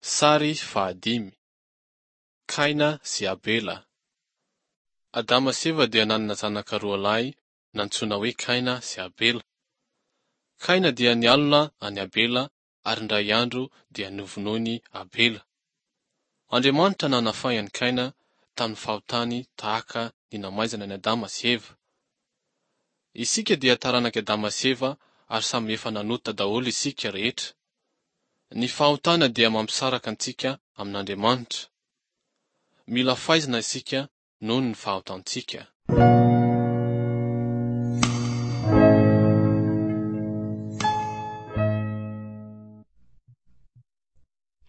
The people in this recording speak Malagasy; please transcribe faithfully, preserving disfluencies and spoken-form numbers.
Sary fahadimy. Kaina sy Abela. Adama sy Eva dia nanana zanaka roa lahy nantsoina hoe Kaina sy Abela. Kaina dia nialona an'i Abela ary indray andro dia novonoiny Abela. Andriamanitra nanafay an'i Kaina tamin'ny fahotany tahaka ny namaizana an'i Adama sy Eva. Isika dia taranak'i Adama sy Eva ary samy efa nanota daholo isika rehetra. Ny fahotana dia mampisaraka antsika amin'Andriamanitra. Mila faizina isika noho ny fahotantsika.